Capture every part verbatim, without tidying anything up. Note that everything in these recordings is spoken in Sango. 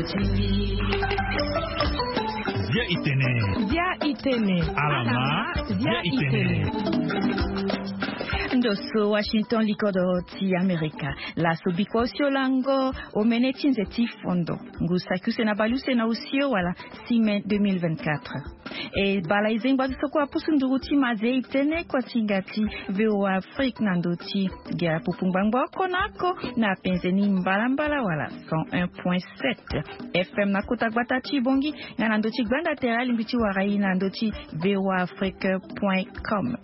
Zia itene. Zia itene. Alama. Zia itene. Ndo so Washington, likodoro ti Amerika. Laso biko osio lango omene ti nze ti fondo. Ngu saki use na bale use na osio wala six mai deux mille vingt-quatre. E bala e zengba ti so kue apusu nduru ti maze itene kua ti hinga ti VOA Afrique na ndo ti gere pupu ngbangba oko na oko na penze ni mbalambala wala cent un point sept FM na kota gbata ti Bongi, nga na ndo ti gbanda tere alingbi ti wara e na ndo ti VOA Afrique point com.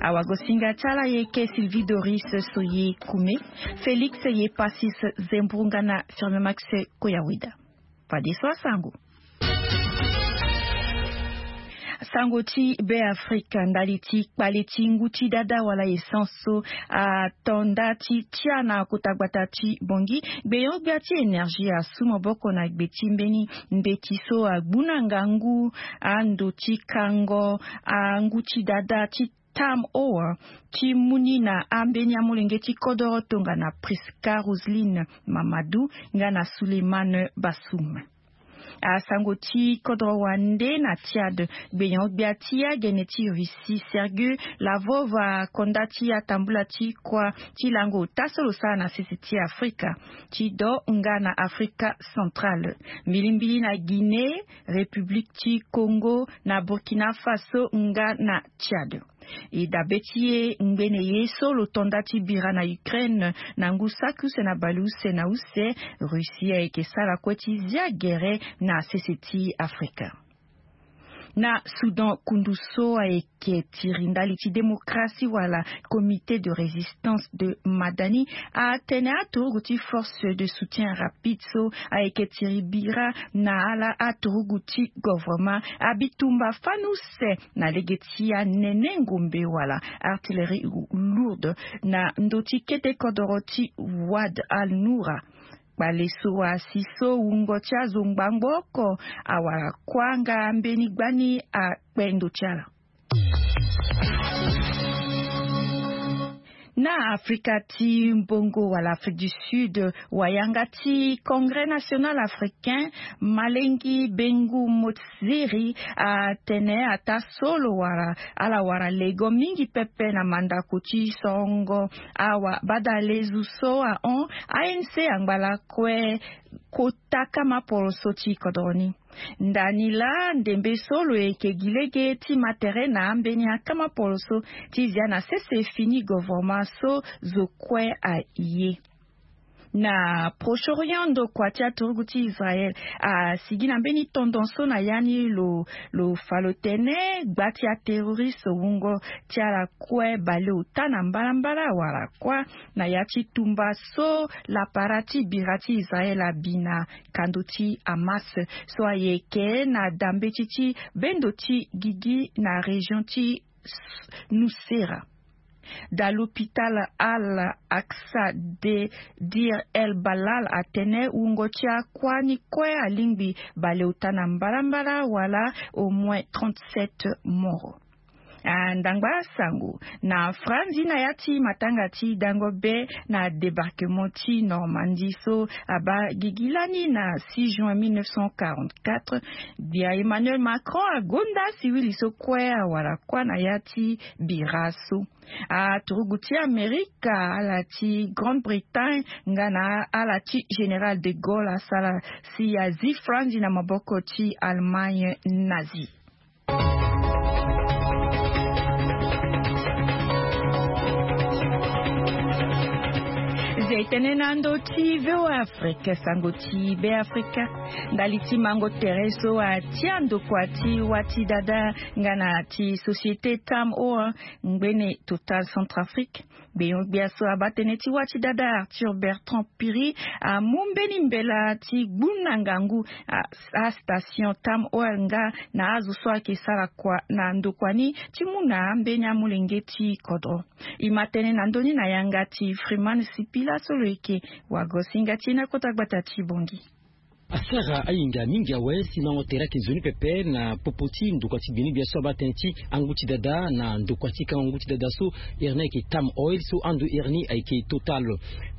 Awagosinga ti ala ayeke Sylvie Doris Soye Kume, Félix Yepasis Zembrunga na Firme Max Koyawida. Fadeso asango. Sango ti Be Afrika, ndali ti kpale ti ngu ti dada wala essence so ato nda ti tia na kota gbata ti Bongi, gbeyon-gbia ti énergie asu maboko na gbe ti mbeni mbeti so agbu na ngangu ando ti kango angu ti dada ti Tam Ower ti mu ni na ambeni amolenge ti kodoro tongana Prisca Roseline Mamadou nga na Souleymane Bassoum. Asango ti kodro wande na Tchad, gbeyon-gbia ti agene ti Russie Sergei Lavrov akonda ti atambula ti kua ti lango ota so lo sara na sese ti Afrika ti do nga na Afrika Centrale, mbilimbili na Guinée, République ti Congo, na Burkina Faso nga na Tchad. E dabe ti e ngbene ye so lo to nda ti bira na Ukraine na ngu saki use na bale use na use, Russie ayeke sara kue ti zia gere na sese ti Afrika. Na Soudan, kundu so ayeke tiri ndali ti démocratie wala Comité de résistance de Madani atene aturugu ti force de soutien rapide so ayeke tiri bira na ala aturugu ti govrema abi tumba fani use na lege ti anene ngombe wala artillerie lourde na ndo ti kete kodoro ti Wad al Noura. Kpale so asi so wungo ti azo ngbangbo oko awara kuâ nga mbeni gbani akpe ndo ti ala. Na Afrika ti mbongo wala Afrique du Sud, wayanga ti Congrès National Africain, Malengi Bengu Motsiri, atene ataa so lo wara, ala wara lego mingi pepe na mandako ti sorongo awa. Badalezu so ahon, A N C angba lakue kota kama poroso ti kodro ni. Ndani laa ndembe so lo yeke gi lege ti ma tere na ambeni akama poroso ti zia na sese fini govoroma so zo kue aye. Na Proche-Orient, ndokua ti aturugu ti Israël asigi na mbeni tendance so na ya ni lo, lo fa lo tene gba ti aterroriste wungo ti ala kue baleota na mbalambala wala kuâ na ya ti tumba so lapara ti bira ti Israël abi na kando ti Hamas so ayeke na dambeti ti bendo ti gigi na région ti Nusera. Da l'hôpital Al-Aqsa de Deir el-Balah atene wungo ti akuâ ni kue alingbi baleota na mbalambala wala au moins trente-sept morts. Ah, ndangba sango na Franzi na ya ti matanga ti dango be na débarquement ti Normandie so abaa gigi lani na six juin mille neuf cent quarante-quatre, gbia Emmanuel Macron agonda siwili so kue awara kuâ na ya ti bira so. Aturugu ti Amerika, ala ti Grande-Bretagne nga na ala ti Général de Gaulle asara si azi Franzi na maboko ti Allemagne nazi. Ze tene na ndo ti VOA Afrique, sango ti Be Afrika. Ndali ti mango tere so atia ndokua ti wâ ti dada nga na ti société Tam Oil, ngbene Total Centrafrique. Gbeyon-gbia so abaa tënë ti wâ ti dada Arthur Bertrand Piri amu mbeni mbela ti gbu na ngangu a, astation Tam Oil nga na azo so ayeke sara kua na ndokua ni ti mu na ambeni amolenge ti kodro. E ma tënë na ndö ni na yanga ti Freeman Sipila so lo yeke wagosinga ti e na kota gbata ti Bongi. Asara ayinga mingi awe si mango tere ayeke nzoni pepe na popo ti ndokua ti gbene-gbia so abaa tënë ti angu ti dada na ndokua ti kango ngu ti dada so. Iri ni ayeke Tam Oil so ando iri ni ayeke Total.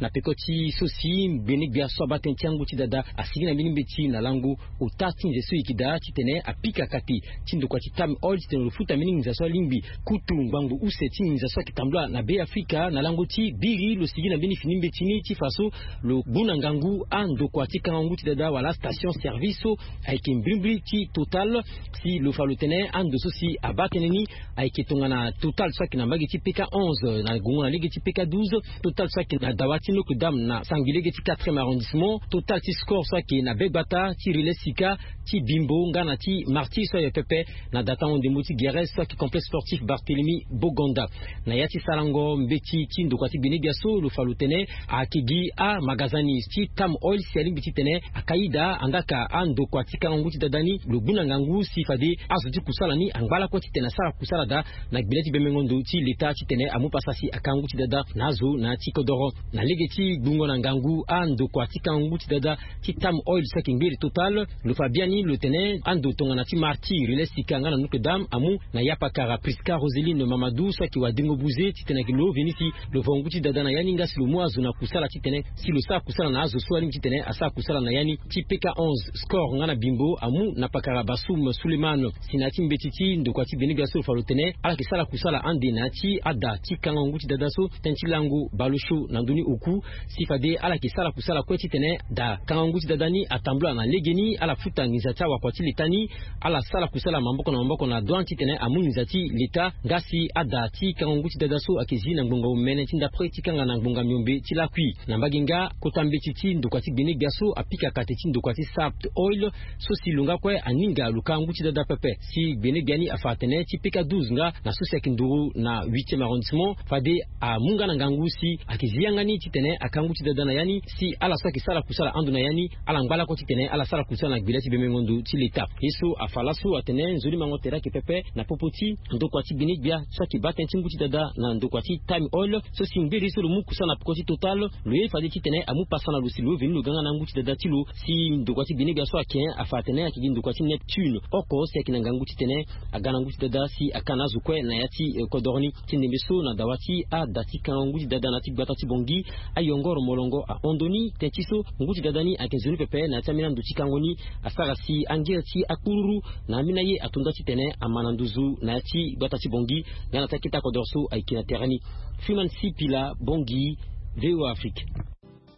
Na peko ti so si gbene-gbia so abaa tënë ti angu ti dada asigi na mbeni mbeti na lango ota ti nze so e yeke daa titene apika kate ti ndokua ti Tam Oil titene lo futa mbeni nginza so alingbi kutu ngbangbo use ti nginza so ayeke tambula na Be Afrika na lango ti biri lo sigi na mbeni fini mbeti ni ti fa so lo gbu na ngangu andokua ti kango ngu ti dada wala station service so ayeke mbrimbri ti Total. Si lo fa lo tene ando so si abaa tënë ni ayeke tongana Total so ayeke na mbage ti P K onze na gongo na lege ti P K douze, Total so ayeke na dawa ti Notre Dame na sangbi lege ti quatrième arrondissement, Total ti Score so ayeke na be gbata ti Relais Sika, ti Bimbo nga na ti Martyrs so aye pepe na datango ndembo ti Guérès so ayeke complexe sportif Barthélemy Boganda. Na ya ti sarango mbeti ti ndokua ti gbene-gbia so lo fa lo tene ayeke gi amagazani ti Tam Oil si alingbi titene aka ida andaa ka andokua ti kango ngu ti dada ni lo gbu na ngangu si fade azo ti kusala ni angba lakue titene asara kusala daa na gbele ti bembengo ndo ti leta titene amu pasa si aka ngu ti dada na azo na ya ti kodoro. Na lege ti gbungo na ngangu andokua ti kango ngu ti dada ti Tam Oil so ayeke ngbiri Total, lo fa biani lo tene ando tongana ti Martyrs, Relais Sika nga na Notre Dame amu na yapakara Prisca Roseline Mamadou so ayeke wadengo buze titene ayeke lo veni si lo vo ngu ti dada na ya ni nga si lo mu azo na kusala titene si lo sara kusala na azo so alingbi titene asara kusala na ya ni ti P K onze. Score nga na Bimbo amu na pakara Bassoum Souleymane. Si na ya ti mbeti ti ndokua ti gbene-gbia so lo fa lo tene ala yeke sara kusala ande na ya ti ada ti kango ngu ti dada so tënë ti lango bale osio na ndö ni oku si fade ala yeke sara kusala kue titene da kango ngu ti dada ni atambula na legeni ala futa nginza ti awakua ti leta ni. Ala sara kusala maboko na maboko na douane titene amu nginza ti leta nga si ada ti kango ngu ti dada so ayeke zi na ngbonga omene ti ndapre ti kanga na ngbonga miombe ti lakui. Na mbage nga kota mbeti ti ndokua ti gbene-gbia so apika kate ti ndokua ti Sapt Oil so si lo nga kue aninga lo ka ngu ti dada pepe si gbene-gbia ni afa atene ti P K douze nga na so si ayeke nduru na huitième arrondissement fade amu nga na ngangu si ayeke zi yanga ni titene aka ngu ti dada na ya ni si ala so ayeke sara kusala ando na ya ni ala ngba lakue titene ala sara kusala na gbele ti bembengo ndo ti leta. Ye so afa laso atene nzoni mango tere ayeke pepe na popo ti ndokua ti gbene-gbia so ayeke baa tënë ti ngu ti dada na ndokua ti Tam Oil so si ngberi so lo mu kusala na peko ti Total lo ye fade titene amu pasa na lo si lo veni lo ga nga na angu ti dada ti lo si ndokua ti gbene-gbia so ayeke afa atene ayeke gi ndokua ti Neptune oko si ayeke na ngangu titene aga na ngu ti dada si aka na azo kue na ya ti eh, kodoro ni. Ti ndembe so na dawa ti ada ti kango ngu ti dada na ya ti gbata ti Bangui ayongoro molongo ahon ndoni tënë ti so ngu ti dada ni ayeke nzoni pepe na ya ti ambeni ando ti kango ni asara si angere ti akpururu na ambeni aye ato nda titene ama na nduzu na ya ti gbata ti Bangui. Nga na ti akete akodoro so ayeke na tere ni. Freeman Sipila, Bangui, V O A Afrique.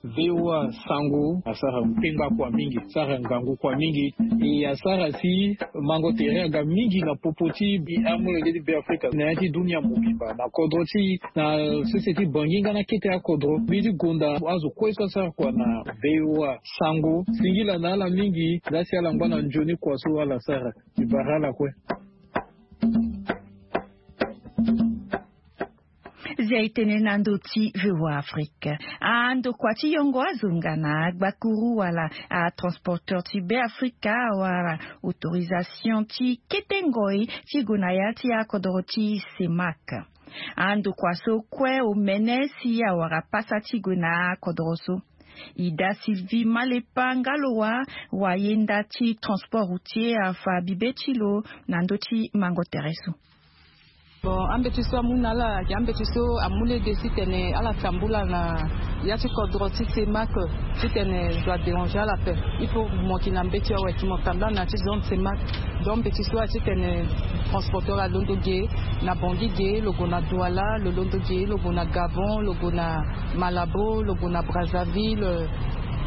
V O A Sango asara kpengba kua mingi, sara ngangu kua mingi. E asara si mango tere aga mingi na popo ti bi amolenge ti Be Afrika na ya ti dunia mobimba na kodro ti na sese ti Bangui nga na kete akodro. Mbi ti gonda azo kue so asara kua na V O A Sango singila na ala mingi. Laa si ala ngba na nzoni kua so ala sara. Ti bara ala kue. Zia e tene na ndö ti V O A Afrique. Andokua ti yongo azo nga na agbakuru wala atransporteur ti Be Afrika awara autorisation ti kete ngoi ti gue na ya ti akodoro ti CEMAC. Andokua so kue omene si awara pasa ti gue na akodoro so. Ida Sylvie Malepa nga lo wa wayenda ti transport routier afa bibe ti lo na ndö ti mango tere so. Bon, ambeti so amu na ala ayeke ambeti so amu lege titene ala tambula na ya ti kodro ti CEMAC titene zo adéranger ala ape. Il faut mo yeke na mbeti awe ti mo tambula na ya ti zone CEMAC. Donc mbeti so atitene transporteur alondo ge na Bangui ge, lo gue na Douala, lo londo ge lo gue na Gabon, lo gue na Malabo, lo gue na Brazzaville,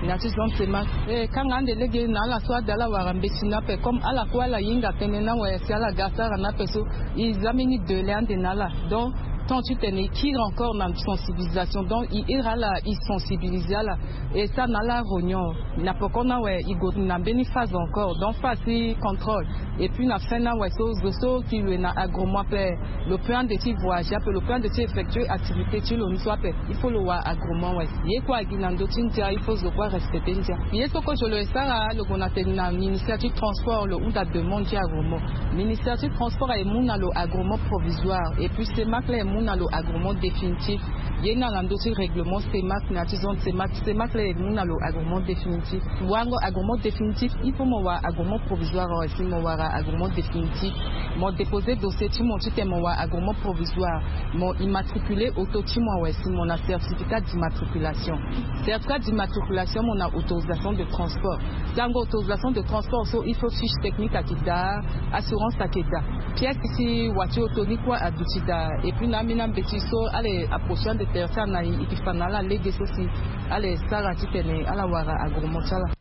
na ya ti zone CEMAC. E kanga ande lege na ala so ade ala wara mbeti ni ape comme ala kue ala hinga tënë ni awe si ala ga asara ni ape so. E za mbeni délai ande na ala. Donc temps titene e kiri encore na sensibilisation. Donc e iri ala, e sensibiliser ala. E sara na ala réunion na peko ni awe e gue na mbeni phase encore. Donc phase ti contrôle. Et puis na fin ni awe so zo so ki loue na agrément ape, lo peut ande ti voyager ape, lo peut ande ti effectuer activité ti lo ni so ape. Il faut lo wara agrément awe. Ye kue agi na ndö ti ndia, il faut zo kue arespecter ndia. Ye so kue zo lo e sara, lo gue na tene na ministère ti transport, lo hunda demande ti agrément. Ministère ti transport aye mu na lo agrément provisoire. Et puis CEMAC laa aye mu Mu na lo agrément définitif. Ye na na ndö ti règlement CEMAC na ya ti zone CEMAC. CEMAC laa e mu na lo agrément définitif. Wango agrément définitif, il faut mo wara agrément provisoire awe si mo wara agrément définitif. Mo déposer dossier ti mo titene mo wara agrément provisoire. Mo immatriculer auto ti mo awe si mo na certificat d'immatriculation. Certificat d'immatriculation, mo na autorisation de transport. Sango autorisation de transport so, il faut fiche technique ayeke daa, assurance ayeke daa, pièce ti wa ti auto ni kue aduti daa. Et puis na ambeni ambeti so ala e approcher ande tere ti ala na e, e ke fa na ala lege so si ala e sara titene ala wara agrément ti ala.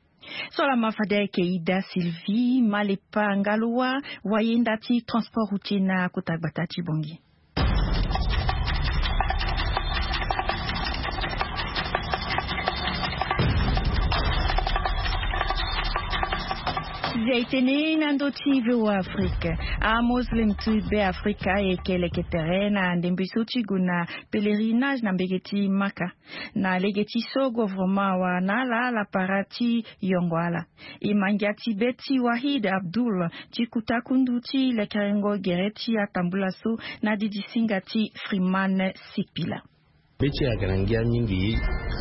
So laa ma fade ayeke Ida Sylvie Malepa Ngalowa, wayenda ti transport routier na kota gbata ti Bangui. Zia e tene na ndö ti VOA Afrique. Amoslem ti Be Afrika e yeke leke tere na ndembe so ti gue na pèlerinage na mbege ti Maka. Na lege ti so gouvernement awara na ala lapara ti yongo ala. E ma ngia ti be ti Wahid Abdul ti kuta kundu ti lekerengo gere ti atambula so na didisinga ti Freeman Sipila. Be ti e ayeke na ngia mingi,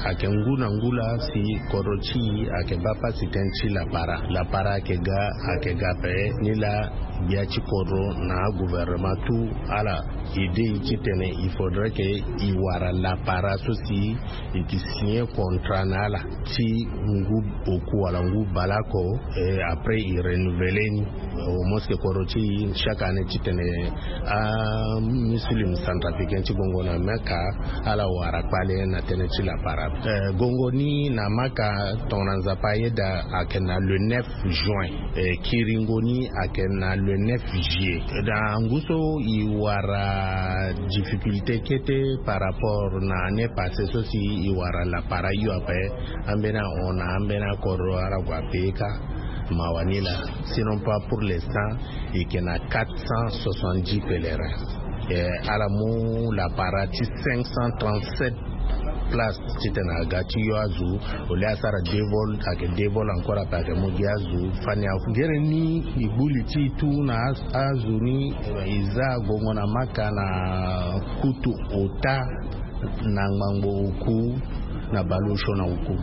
ayeke ngu na ngu laa si kodro ti e ayeke baa pasi tënë ti lapara. Lapara ayeke ga, ayeke ga ape. Nilaa gbia ti kodro na agouvernement tout ala aidé e titene il faudrait que e wara lapara so si e ke signer contrat na ala ti ngu oku wala ngu baleoko, eh, après e renouveler ni. Au moins que kodro ti e chaque année titene amuslim centrafricain ti gongo na Mecca ala wara kpale na tënë ti lapara. Eh, gongo ni na Mecca, tongana Nzapa ayeda, ayeke na le neuf juin. Eh, kiringo ni ayeke na le neuf juillet. Na ngu so e wara difficulté kete par rapport na année passée so si e wara lapara hio ape. Ambeni ahon na ambeni akodro ala gue ape ka. Mawa ni laa. Sinon pas pour l'instant, e yeke na quatre cent soixante-dix pèlerins. Eh, ala mu lapara ti cinq cent trente-sept place titene aga ti yo azo. Au lieu asara deux vols, ayeke deux vols encore ape ayeke mu gi azo. Fani afu gere ni e gbu li ti e tout na a-, azo ni, e za gongo na Maka na kutu ota na ngbangbo oku na baleosio na oku.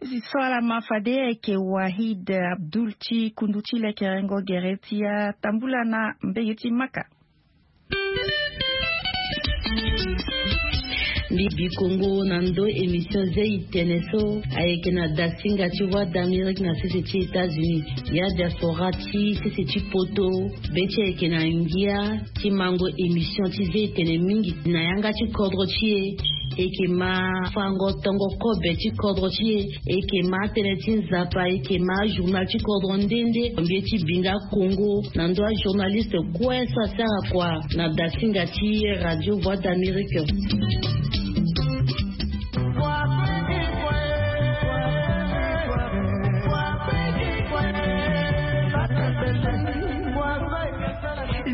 Si so ala ma fade ayeke Wahid Abdul ti kundu ti lekerengo gere ti atambula na mbege ti Maka. Mbi bi kongo na ndö émission zia tene so ayeke na dasinga ti Voix d'Amérique na sese ti États-Unis. Ya diaspora ti sese ti poto, be ti ayeke na ngia ti mango émission ti zia tene mingi na yanga ti kodro ti e. E yeke ma fango tongo kobe ti kodro ti e. E yeke ma tënë ti Nzapa, e yeke ma journal ti kodro nde nde. Mbi ye ti bi nga Congo na ndö ajournaliste kue so asara kua na dasinga ti Radio Voix d'Amérique.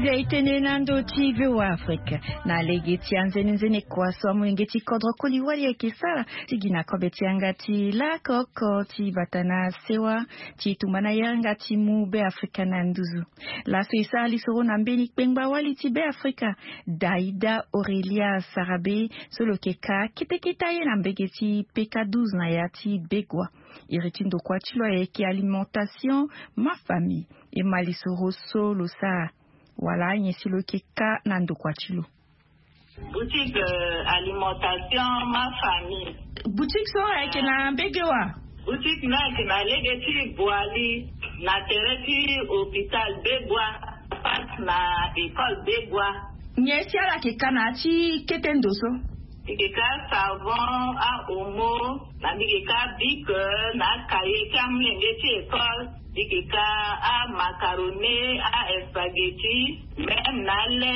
Zia e tene na ndö ti VOA Afrique. Na lege ti anzenenzene kua so amolenge ti kodro koli wali ayeke sara ti gi na kobe ti yanga ti lako oko ti bata na sewa ti tumba na yanga ti mu Be Afrika na nduzu. Laso e sara lisoro na mbeni kpengba wali ti Be Afrika, Daïda Aurélia Sarabe, so lo yeke ka kete kete aye na mbege ti P K douze na ya ti Begua. Iri ti ndokua ti lo ayeke alimentation ma famille. E ma lisoro so lo sara wala nyen si lo yeke ka na ndokua ti lo. Boutique, euh, alimentation ma famille. Boutique so ayeke na mbege wa? Boutique ni ayeke na lege ti Boali, na tere ti hôpital Begua, face na école Begua. Nyen si ala yeke ka na ya ti kete ndo so? Mbi yeke ka savon, a omo, na mbi yeke ka bic, na cahier ti amolenge ti école. Mbi yeke ka amacaroni, a spaghetti, même na le,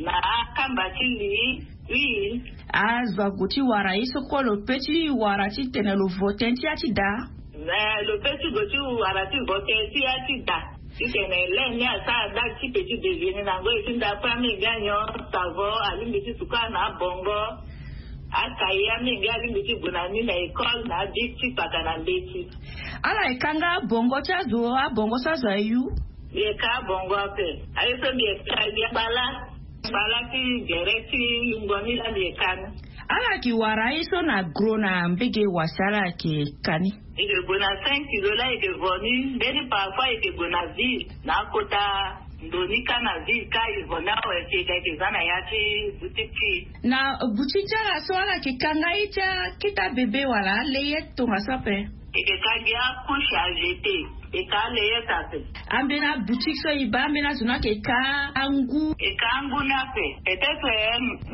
na akamba ti li, huile. Azo ague ti wara ye so kue lo pe ti wara titene lo vo tënë ti ya ti da? Mais lo pe ti gue ti wara ti vo tënë ti ya ti da. Titene le ni asara date ti petit déjeuner na ngoi ti ndapre, amenge anyon savon, alingbi ti suka na abongo. Acahier amenge alingbi ti gue na ni na école, na abic ti paka na mbeti. Ala yeke ka nga abongo ti azo, abongo so azo ayu? Mbi yeke ka abongo ape. Aye so mbi yeke ka, mbi yeke bala. Ala ti gere ti lungua ni laa mbi ye ka ni. Ala yeke wara aye so na gro na mbege wasi ala yeke ka ni. Eke gue na cinq kilo laa eke vo ni. Mbeni parfois eke gue na ville na akota ndo ni kâ na ville kâ e vo ni awe si eke za na ya ti boutique ti e. Na boutique ti ala so ala yeke ka nga ye ti akete abebe wala alayette tongaso ape? Eke ka gi acouche à jeter. Eke ka alayette ape. Ambeni aboutique so e baa ambeni azo ni ayeke ka angu? Eke ka angu ni ape. Peut-être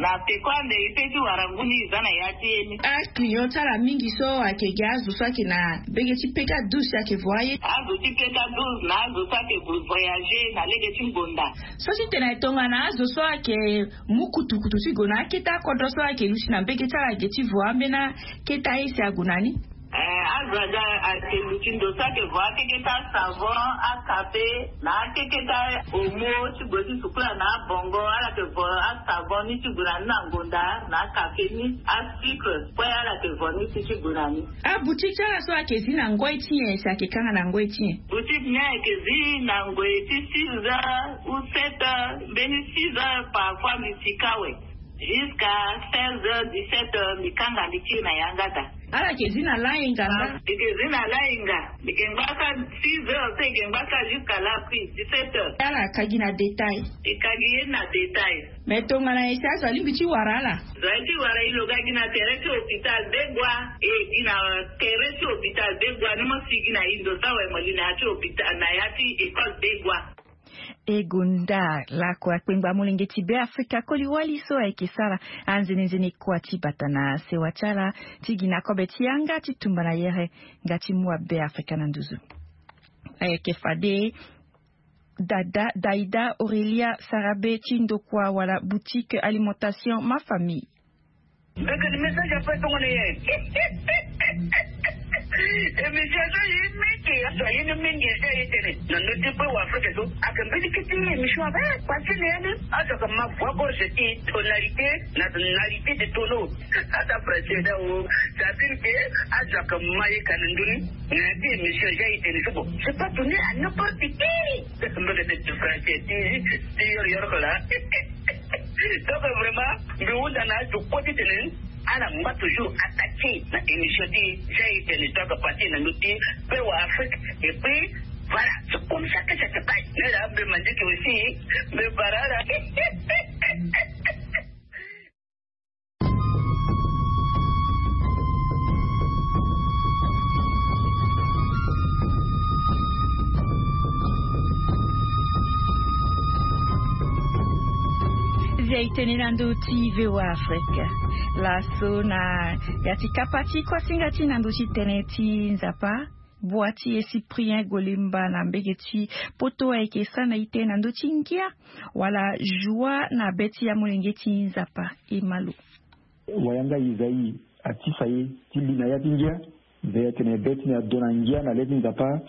na peko ande e pe ti wara ngu ni e za na ya ti ye ni. Aclient ti ala mingi so ayeke gi azo so ayeke na mbege ti peka douze si ayeke vo aye. Azo ti peka douze na azo so ayeke gue voyager na lege ti ngonda. So ti tene tongana azo so ayeke mu kutukutu ti gue na akete akodro so ayeke luti na mbege ti ala ge ti vo ambeni akete aye si ague na ni? Eh, azo aga ayeke luti ndo so ayeke vo akeketa savon, akape na akeketa omo ti gue ti sukula na abongo. Ala yeke vo asavon ni ti gue na ni na ngonda na akape ni, asucre kue ala yeke vo ni ti ti gue na ni. Aboutique ti ala so ayeke zi na ngoi ti nyen si ayeke kanga na ngoi ti nyen? Boutique ni ayeke zi na ngoi ti six heures ou sept heures, mbeni six heures parfois mbi sika awe. Jusqu'à seize heures, dix-sept heures mbi kanga mbi kiri na yanga daa. Ala yeke zi na layenga nga? Mbi yeke zi na layenga. Mbi yeke ngba kâ six heures so e yeke ngba kâ jusqu'à la pluie, dix-sept heures. Ala ka gi na détail? E ka gi ye ni na détail. Mais tongana e si azo alingbi ti wara ala? Zo aye ti wara e lo ga gi na tere ti hôpital Begoua. E gi na tere ti hôpital Begoua ni mo si gi na e ndo so awe mo li na ya ti hôpital na ya ti école Begoua. E gonda lakue akpengba molenge ti Beafrika koli wali so ayeke sara anzenenzene kua ti bata na sewa ti ala ti gi na kobe ti yanga ti tumba na yere nga ti mu aBeafrika na nduzu. Ayeke fade Dada Daida Aurelia Sarabe ti ndokua wala boutique alimentation Ma Famille. Mbekeni message ape tongana ye. Émission so ye mingi aso aye ni mingi eza ye tene na ndö ti pe wa Afrika so. Ake mbeni kete émission ape pasi na ye ni azo ake ma voix gorge ti tonalité na tonalité de tono. Ata français da o. Ça veut dire que azo ake ma ye ka na ndö ni na ya ti émission eza ye tene so bon, c'est pas donné à n'importe qui. Mbekeni français ti ti yoro yoro ko la. Donc vraiment mbi hunda na azo kue ti tene ala ngba toujours attaqué na émission ti ja e tene, donc parti na ndö ti pe wa Afrique. Et puis voilà, c'est comme ça que ça se passe. Mais là mbi mandiki aussi mbi bara ala. Via e tene na ndö ti V O A Afrique. Laso na ya ti kapa ti kuasinga ti na ndö ti tënë ti Nzapa, bua ti e Cyprien Golemba na mbege ti poto ayeke sara na ite na ndö ti ngia wala joie na be ti amolenge ti Nzapa. E ma lo. Wayanga Isaïe atisa e ti li na ya ti ngia. Mbi ye tene be ti mbi ado na ngia na le ti Nzapa.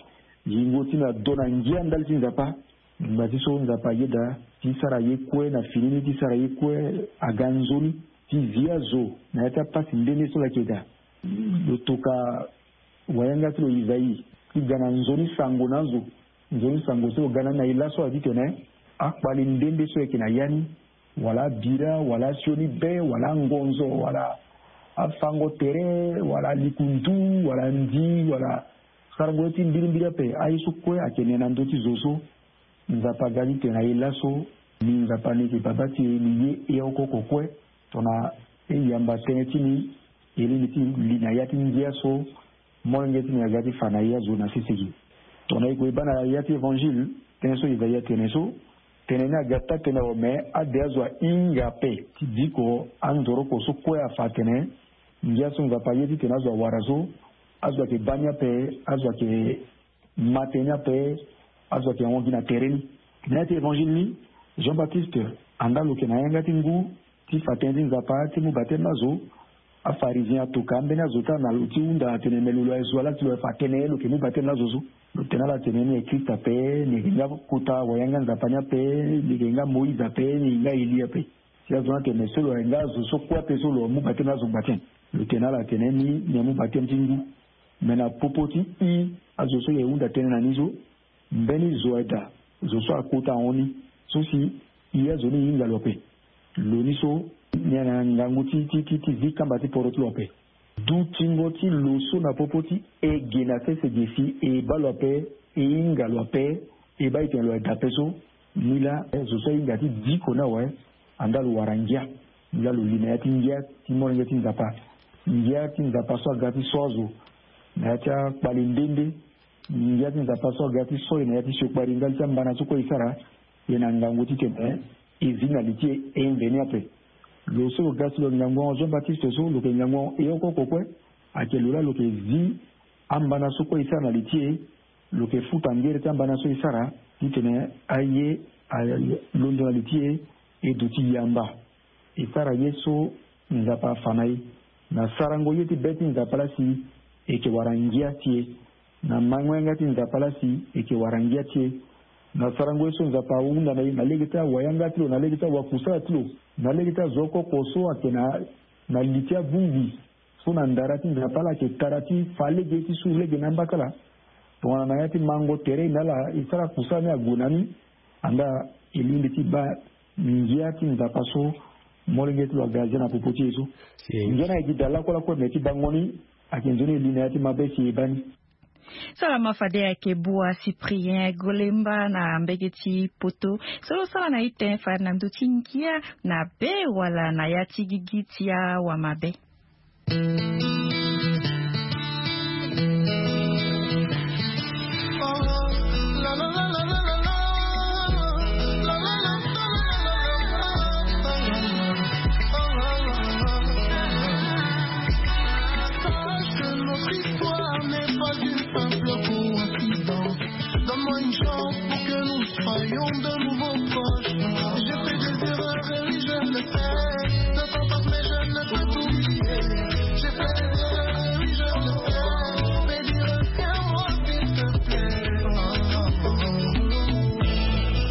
Yingo ti mbi ado na ngia ndali ti Nzapa. Ngba ti so Nzapa ayeda ti sara ye kue na fini ni, ti sara ye kue aga nzoni ti zi azo na ya ti apasi nde nde so lo yeke daa. Lo toka wayanga ti lo Isaïe ti ga na nzoni sango na azo. Nzoni sango so lo ga na ni na e laso ati tene akpali nde nde so yeke na ya ni, wala abira, wala asioni be, wala angonzo, wala afango tere, wala alikundu, wala ndi, wala sarango ye ti mbirimbiri ape. Aye so kue ayeke ne na ndö ti zo so. Nzapa aga ti tene na e laso. Ni Nzapa ni yeke baba ti e, ni ye e oko oko kue. Tongana e yamba tënë ti ni, e lingbi ti li na ya ti ngia so molenge ti ni aga ti fa na e azo na sese ge. Tongana e gue e baa na ya ti évangile, tënë so Isaïe atene so, tënë ni aga taa-tënë awe, me ade azo ahinga ape ti diko anzoroko so kue afa atene ngia so Nzapa aye ti tene azo awara so, azo ayeke baa ni ape, azo ayeke ma tënë ni ape, azo ayeke hon gi na tere ni. Na ya ti évangile ni, Jean-Baptiste anda lo yeke na yanga ti ngu ti fa tënë ti Nzapa ti mu bateme na azo. Afarizien atoka ambeni azo ti ala na lo ti hunda atene me lo lo aye zo wa laa ti lo aye fa tënë lo yeke mu bateme na azo so. Lo tene ala tene ni aye Christ ape, ni yeke nga kota wayanga Nzapa ni ape, ni yeke nga Moïse ape, ni yeke nga Elie ape. Si azo ni atene me so lo aye nga azo so kue ape so lo mu bateme na azo ngba ti nyen? Lo tene ala tene ni ni amu bateme ti ngu. Me na popo ti i azo so e hunda tënë na ni so, mbeni zo aye daa, zo so akota ahon ni so si i azo ni e hinga lo ape. Lo ni so ni na ngangu ti ti ti ti zi kamba ti poro ti lo ape. Dutingo ti lo so na popo ti e ge na sese ge si e baa lo ape, e hinga lo ape, e baa e tene lo ayeke daa ape so. Ni laa zo so ahinga ti diko ni awe. Andaa lo wara ngia. Ni laa lo li na ya ti ngia ti molenge ti Nzapa. Ngia ti Nzapa so aga ti so azo na ya ti akpale nde nde. Ngia ti Nzapa so aga ti so e na ya ti siokpari ndali ti ambana so kue e sara. E na ngangu titene e zi na li ti e, e mbe ni ape. Lo so lo ga si lo ngangu ahon Jean Baptiste so lo yeke ngangu ahon e oko oko kue. Ayeke lo laa lo yeke zi ambana so kue e sara na li ti e. Lo yeke futa ngere ti ambana so e sara titene aye alondo na li ti e. E duti yamba. E sara ye so Nzapa afa na e. Na sarango ye ti be ti Nzapa laa si e yeke wara ngia ti e. Na mango yanga ti Nzapa laa si e yeke wara ngia ti e. Na sarango ye so Nzapa ahunda na e na lege ti awayanga ti lo, na lege ti awakusala ti lo, na lege ti azo oko oko so ayeke na, na li ti abongbi so na ndara ti Nzapa laa ayeke tara ti fa lege ti suru lege na amba ti ala. Tongana na ya ti mango tere e na ala e sara kusala ni ague na ni. Andaa e lingbi ti baa ngia ti Nzapa so molenge ti lo aga zia na popo ti e so. Ngia ni ayeke gi daa lakue lakue me ti bango ni. Ayeke nzoni e li na ya ti mabe si e baa ni. Salama fade ayeke bua Cyprien Golemba na mbege ti poto. So lo sara na ite fade na ndö ti ngia na be wala na ya ti gigi ti awamabe. Sache que notre histoire n'est pas une simple coïncidence. Donne-moi une chance pour que nous soyons de nouveau proches. J'ai fait des erreurs et oui, je le sais. Ne t'en pas, mais je ne peux t'oublier. J'ai fait des erreurs et oui, je le sais. Mais dis, retiens-moi, s'il te plaît.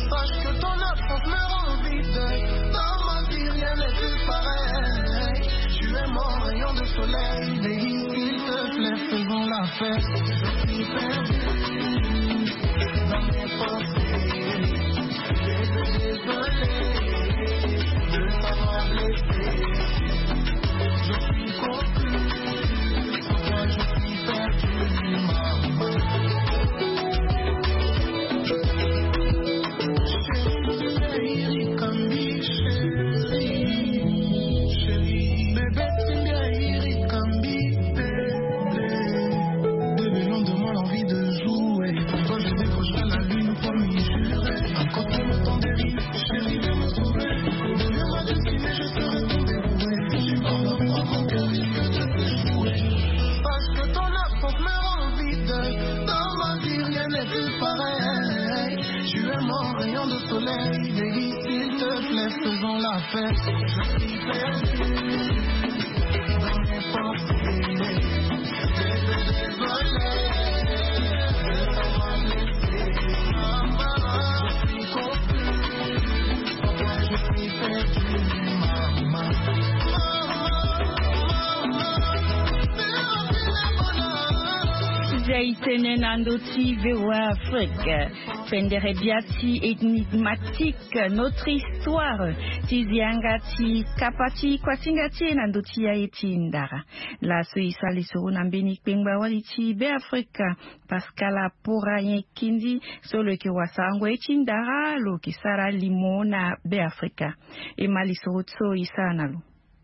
Sache que ton absence me rend vide. Dans ma vie, rien n'est plus pareil. Tu es mon rayon de soleil, baby, s'il te plaît, faisons la fête. Je suis perdu dans mes pensées. Désolé de t'avoir blessé. Je suis confus. Sans toi, je suis perdu, maman. Chérie, chérie, chérie, bébé, chérie, bébé, donne-moi l'envie de jouer. Pour toi, je décrocherai la lune, promis, juré. À côté, le temps dérive. Chérie, viens me sauver. Deviens ma destinée, je serai ton dévoué. Si tu pardonnes, crois mon cœur risque de s'échouer. Parce que ton absence me rend vide. Dans ma vie, rien n'est plus pareil. Tu es mon rayon de soleil. Baby, s'il te plaît, faisons la fête. Je suis perdu dans mes pensées. Désolé de t'avoir blessé. Maman, je suis confus. Pourquoi je suis perdu, maman? Maman, maman, c'est la vie, la bonne. Zia e tene na ndö ti V O A Afrique. Pendere bia ti Énigmatique, notre histoire. Ti zi yanga ti kapa ti kuasinga ti e na ndö ti aye ti ndara. Laso e sara lisoro na mbeni kpengba wali ti Beafrika, Pascal Apora Nyen Kindi, so lo yeke wasarango ye ti ndara, lo yeke sara limo na Beafrika. E ma lisoro so e sara na lo.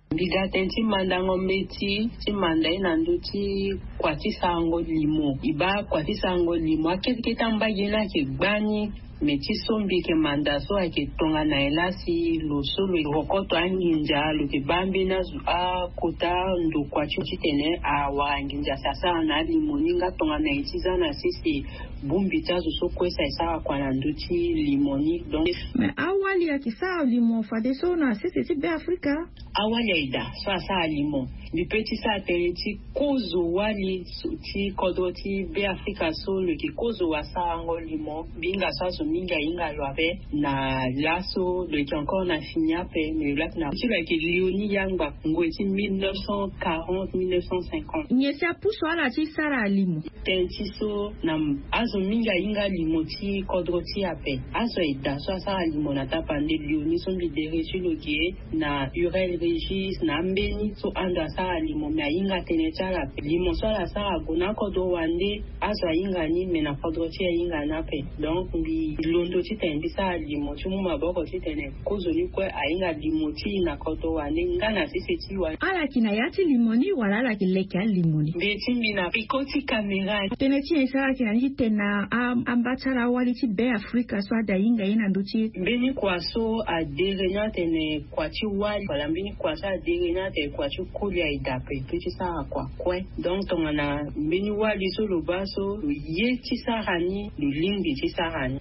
Mbi ga tënë ti mandango mbeti ti manda ye na ndö ti kua ti sarango limo. E baa kua ti sarango limo, akete kete ambage ni ayeke gbani. Me ti so mbi yeke manda so ayeke tongana nyen laa si lo so lo yeke kokoto anginza, lo yeke baa mbeni azo akota ndokua ti lo titene awara nginza si asara na alimo ni, nga tongana nyen ti za na sese bongbi ti azo so kue si asara kua na ndö ti limo ni. Donc, me awali ayeke sara limo fadeso na sese ti Beafrika? Awali aye daa so asara limo. Mbi pe ti sara tënë ti kozo wali so, ti kodro ti Beafrika so lo yeke kozo wasarango limo. Mbi hinga so azo Mingi ahinga lo ape na laso lo yeke encore na fini ape, mais lo yeke na ti lo ayeke lioni yangba ngoi ti mille neuf cent quarante, mille neuf cent cinquante. Nyen si apusu ala ti sara limo? Tënë ti so na azo mingi ahinga limo ti kodro ti e ape. Azo ayeke daa so asara limo na tapande lioni so mbi dere ti lo ge na Hurel Régis na ambeni so ando asara limo, me ahinga tënë ti ala ape. Limo so ala sara ague na akodro wande, azo ahinga ni, me na kodro ti e ahinga ni ape. Donc mbi londo titene mbi sara limo ti mu maboko titene kozoni kue ahinga limo ti e na kodro wande nga na sese ti e wande. Ala yeke na ya ti limo ni wala ala yeke leke alimo ni? Mbi ti mbi na peko ti kamera. Tënë ti nyen si ala yeke na ni titene na a- amba ti ala awali ti Be Afrika so ada hinga ye na ndö ti e? Mbeni kua so adere ni atene kua ti wali, wala mbeni kua so adere ni atene kua ti koli aye daa ape, e peut ti sara kua kue. Donc tongana mbeni wali so lo baa so lo ye ti sara ni, lo lingbi ti sara ni.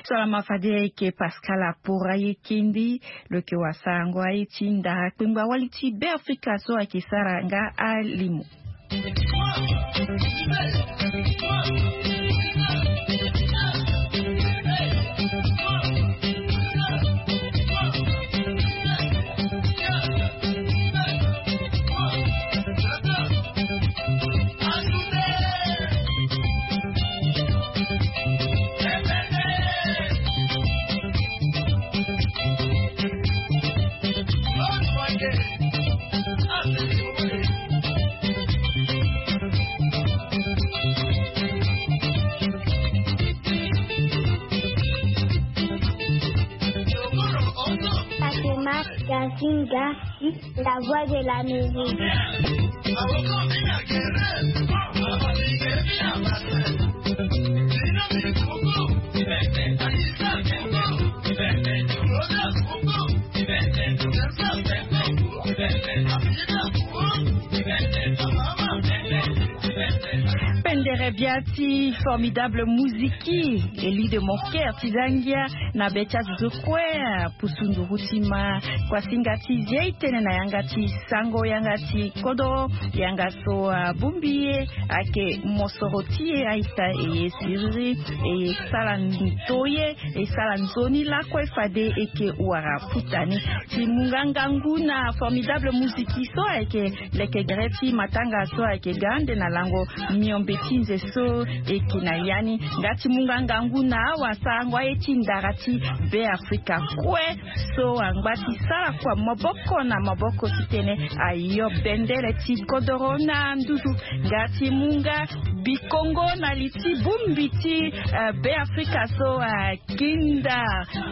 So ala ma fade ayeke Pascal Apora Yekendi, lo yeke wasango aye ti ndara kpengba wali ti Be Afrika so ayeke sara nga alimo. Fatima Gazinga, la voix de l'Amérique. Pendere bia ti Formidable Muziki, Élie de Monker ti za ngia na be ti azo so kue apusu nduru ti ma kuasinga ti zi e tënë na yanga ti sango, yanga ti kodro, yanga so abongbi e ayeke mosoro ti e. Aita e ye siriri, e ye sara ndoye, e sara nzoni lakue fade e yeke wara puta ni. Ti mu nga ngangu na Formidable Muziki so ayeke leke gere ti matanga so ayeke ga ande na lango miombe ti nze so e yeke na ya ni. Nga ti mu nga ngangu na awasarango aye ti ndara ti Be Afrika kue so angba ti sara kua maboko na maboko titene ayo bendere ti kodoro na nduzu. Nga ti mu nga bikongo na li ti bongbi ti, eh, Be Afrika so, eh, akinda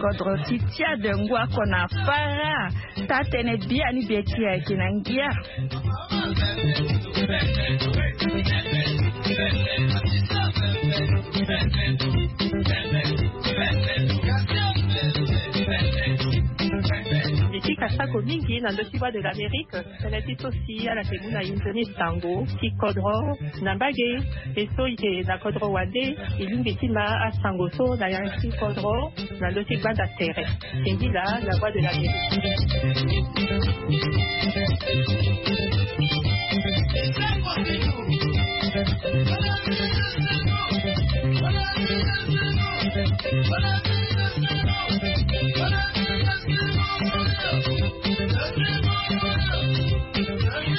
kodro ti Tchad ngu oko na fara. Taa-tënë biani bie ti e ayeke na ngia. Mbi ti kasako mingi na ndö ti Voix de l'Amérique. Tënë ti so si ala yeke mu na e nzoni sango ti kodro na mbage. E so e yeke na kodro wande, e lingbi ti ma asango so na yanga ti kodro na ndö ti gbanda tere. Singila, la voix de l'Amérique.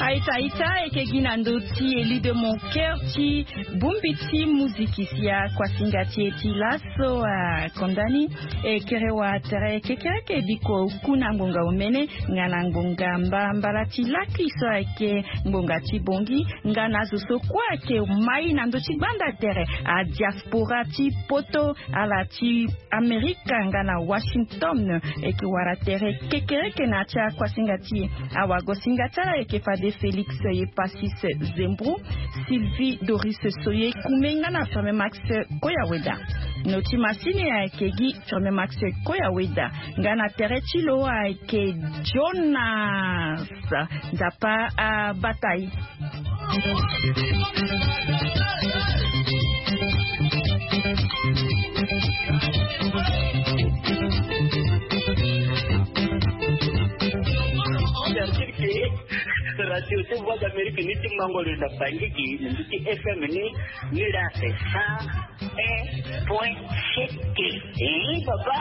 Aita, aita, e yeke gi na ndö ti Élie de Monker ti bongbi ti muziki si akuasinga ti e ti laso akonda ni. E kere wa tere kekereke biko ku na ngbonga omene nga na ngbonga mba mbala ti laki so ayeke ngbonga ti bongi, nga na azo so kue ayeke mai na ndö ti gbanda tere, adiaspora ti poto, ala ti Amerika nga na Washington. E yeke wara tere kekereke na ya ti akuasinga ti e. Awagosinga ti ala ayeke fade Félix Yepasis Zembro, Sylvie Doris Soye Kume nga na Firme Max Koyaweda. Noti masini ayeke gi Firme Max Koyaweda. Nga na tere ti lo ayeke Jonas Nzapa abata e. Radio ti Voix d'Amérique ni ti mango lo na Bangui gi na ndu ti F M ni, ni la c'est cent un point sept. Eh, papa.